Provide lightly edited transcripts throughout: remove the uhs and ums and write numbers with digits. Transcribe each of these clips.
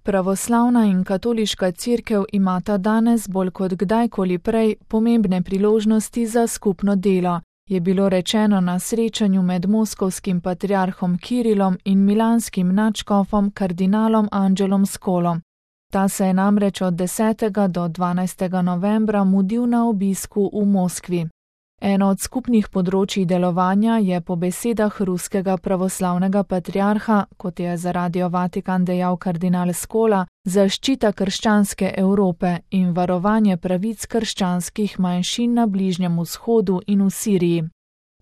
Pravoslavna in katoliška cerkev imata danes bolj kot kdajkoli prej pomembne priložnosti za skupno delo, je bilo rečeno na srečanju med moskovskim patriarhom Kirilom in milanskim nadškofom kardinalom Angelom Scolom. Ta se je namreč od 10. do 12. novembra mudil na obisku v Moskvi. Eno od skupnih področij delovanja je po besedah ruskega pravoslavnega patriarha, kot je za Radio Vatikan dejal kardinal Scola, zaščita krščanske Evrope in varovanje pravic krščanskih manjšin na Bližnjem vzhodu in v Siriji.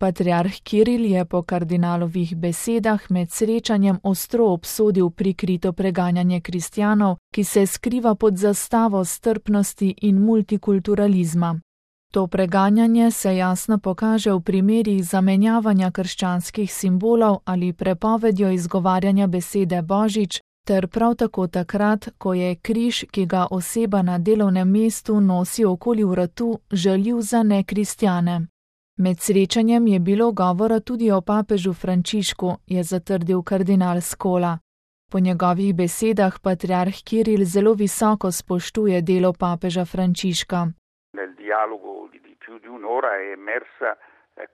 Patriarh Kiril je po kardinalovih besedah med srečanjem ostro obsodil prikrito preganjanje kristjanov, ki se skriva pod zastavo strpnosti in multikulturalizma. To preganjanje se jasno pokaže v primerih zamenjavanja krščanskih simbolov ali prepovedjo izgovarjanja besede Božič, ter prav tako takrat, ko je križ, ki ga oseba na delovnem mestu nosi okoli vratu, žaljiv za nekristjane. Med srečanjem je bilo govora tudi o papežu Frančišku, je zatrdil kardinal Scola. Po njegovih besedah patriarh Kiril zelo visoko spoštuje delo papeža Frančiška. Nel dialogo di più di un'ora è emersa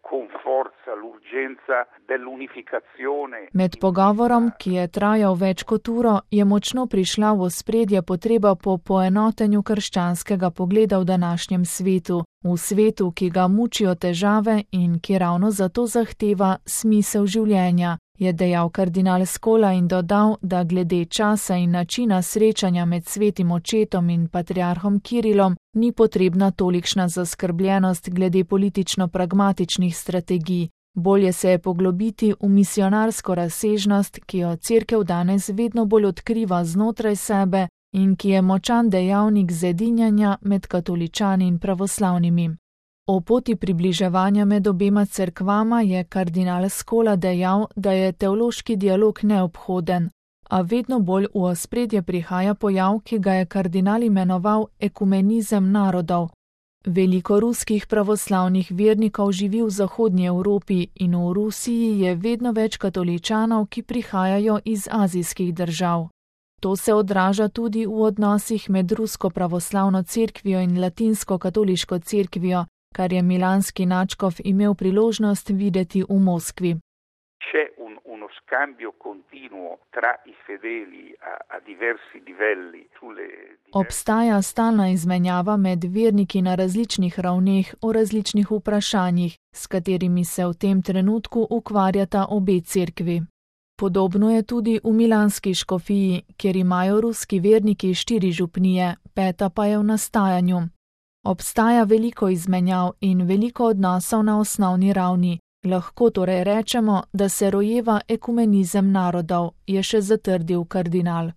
con forza l'urgenza dell'unificazione. Med pogovorom, ki je trajal več kot uro, je močno prišla v ospredje potreba po poenotenju krščanskega pogleda v današnjem svetu, v svetu, ki ga mučijo težave in ki ravno zato zahteva smisel življenja, je dejal kardinal Scola in dodal, da glede časa in načina srečanja med svetim očetom in patriarhom Kirilom ni potrebna tolikšna zaskrbljenost glede politično-pragmatičnih strategij. Bolje se je poglobiti v misionarsko razsežnost, ki jo cerkev danes vedno bolj odkriva znotraj sebe in ki je močan dejavnik zedinjanja med katoličani in pravoslavnimi. O poti približevanja med obema cerkvama je kardinal Scola dejal, da je teološki dialog neobhoden, a vedno bolj v ospredje prihaja pojav, ki ga je kardinal imenoval ekumenizem narodov. Veliko ruskih pravoslavnih vernikov živi v zahodnji Evropi in v Rusiji je vedno več katoličanov, ki prihajajo iz azijskih držav. To se odraža tudi v odnosih med rusko pravoslavno cerkvijo in latinsko katoliško cerkvijo, kar je milanski nadškof imel priložnost videti v Moskvi. C'è uno scambio continuo tra i fedeli a diversi livelli sulle. Obstaja stalna izmenjava med verniki na različnih ravneh o različnih vprašanjih, s katerimi se v tem trenutku ukvarjata obe cerkvi. Podobno je tudi v milanski škofiji, kjer imajo ruski verniki 4 župnije, 5. pa je v nastajanju. Obstaja veliko izmenjav in veliko odnosov na osnovni ravni. Lahko torej rečemo, da se rojeva ekumenizem narodov, je še zatrdil kardinal.